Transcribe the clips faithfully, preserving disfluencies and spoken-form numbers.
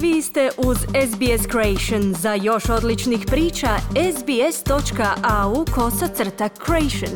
Vi ste uz S B S Creation. Za još odličnih priča, sbs.au kosacrta creation.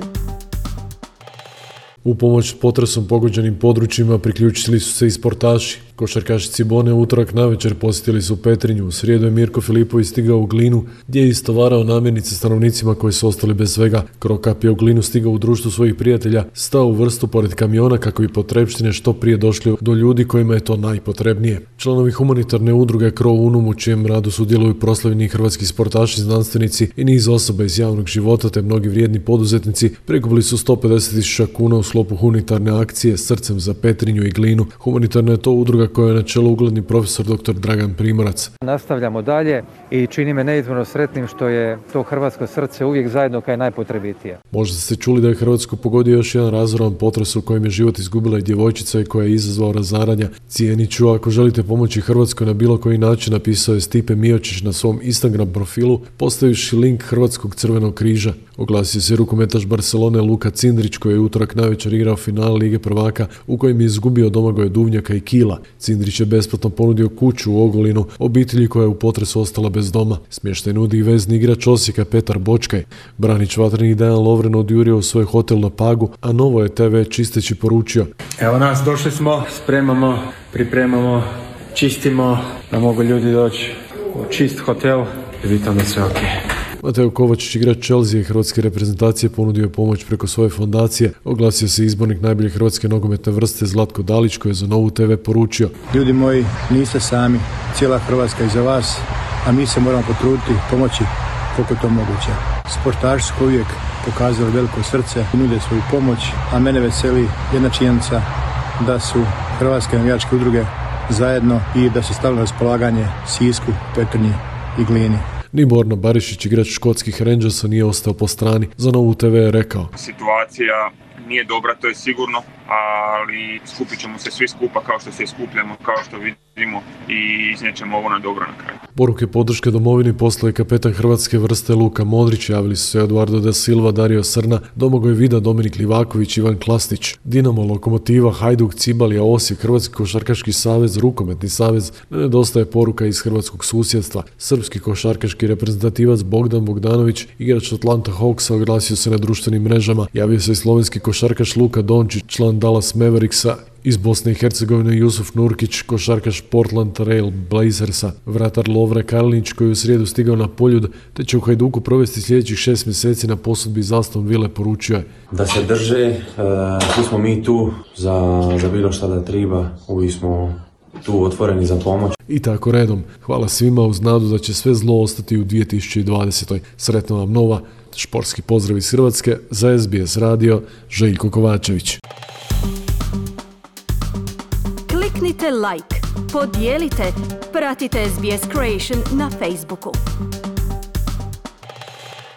U pomoć potresom pogođenim područjima priključili su se i sportaši. Košarkaši Cibone u utorak navečer posjetili su Petrinju. U srijedu je Mirko Filipović stigao u Glinu, gdje je istovarao namirnice stanovnicima koji su ostali bez svega. Krokap je u Glinu stigao u društvu svojih prijatelja, stao u vrstu pored kamiona kako bi potrepštine što prije došli do ljudi kojima je to najpotrebnije. Članovi humanitarne udruge Krov Unum, u čijem radu sudjeluju proslavljeni hrvatski sportaši, znanstvenici i niz osoba iz javnog života te mnogi vrijedni poduzetnici, prikupili su sto pedeset tisuća kuna u sklopu humanitarne akcije Srcem za Petrinju i Glinu. Humanitarna je to udruga koja je na čelu ugledni profesor doktor Dragan Primorac. Nastavljamo dalje i čini me neizmjerno sretnim što je to hrvatsko srce uvijek zajedno kad je najpotrebitije. Možda ste čuli da je Hrvatsku pogodio još jedan razoran potres u kojem je život izgubila i djevojčica i koja je izazvao razaranja. Cijenit ću ako želite pomoći Hrvatskoj na bilo koji način, napisao je Stipe Miočić na svom Instagram profilu, postavivši link Hrvatskog crvenog križa. Oglasio se rukometaš Barcelone Luka Cindrić, koji je utorak navečer igrao final Lige prvaka u kojem je izgubio Domagoja Duvnjaka i Kila. Cindrić je besplatno ponudio kuću u Ogulinu obitelji koja je u potresu ostala bez doma. Smještaj nudi i vezni igrač Osijeka Petar Bočkaj. Branić vatrenih Dejan Lovren odjurio u svoj hotel na Pagu, a Novo je te ve čisteći poručio: Evo nas, došli smo, spremamo, pripremamo, čistimo, da mogu ljudi doći u čist hotel i vidim da sve ok. Mateo Kovačić, igrač Chelsea i hrvatske reprezentacije, ponudio je pomoć preko svoje fondacije. Oglasio se izbornik najbolje hrvatske nogometne vrste Zlatko Dalić, koji je za Novu te ve poručio: Ljudi moji, niste sami, cijela Hrvatska iza vas, a mi se moramo potruditi, pomoći koliko je to moguće. Sportaši su uvijek pokazali veliko srce i nude svoju pomoć, a mene veseli jedna činjenica da su hrvatske navijačke udruge zajedno i da su stavili na raspolaganje Sisku, Petrinji i Glini. Ni Borna Barišić, igrač škotskih Rangersa, nije ostao po strani. Za Novu te ve je rekao: Situacija nije dobra, to je sigurno, ali skupit ćemo se svi skupa kao što se skupljamo, kao što vidimo, i iznijećemo ovo na dobro na kraju. Poruke podrške domovini poslao je kapetan hrvatske vrste Luka Modrić. Javili su se Eduardo da Silva, Dario Srna, Domagoj Vida, Dominik Livaković, Ivan Klasnić. Dinamo, Lokomotiva, Hajduk, Cibalija, Osijek, Hrvatski košarkaški savez, Rukometni savez. Ne nedostaje poruka iz hrvatskog susjedstva. Srpski košarkaški reprezentativac Bogdan Bogdanović, igrač Atlanta Hawksa, oglasio se na društvenim mrežama. Javio se i slovenski košarkaš Luka Dončić, član Dallas Mavericksa. Iz Bosne i Hercegovine Jusuf Nurkić, košarkaš Portland Trail Blazersa, vratar Lovre Karlinić, koji je u srijedu stigao na Poljud, te će u Hajduku provesti sljedećih šest mjeseci na posudbi iz Aston Ville, poručio je: Da se drže, e, tu smo mi tu za, za bilo šta da treba, uvijek smo tu otvoreni za pomoć. I tako redom. Hvala svima uz nadu da će sve zlo ostati u dvije tisuće dvadesetoj. Sretna vam nova. Športski pozdrav iz Hrvatske. Za S B S radio, Željko Kovačević. Kliknite like, podijelite, pratite S B S Creation na Facebooku.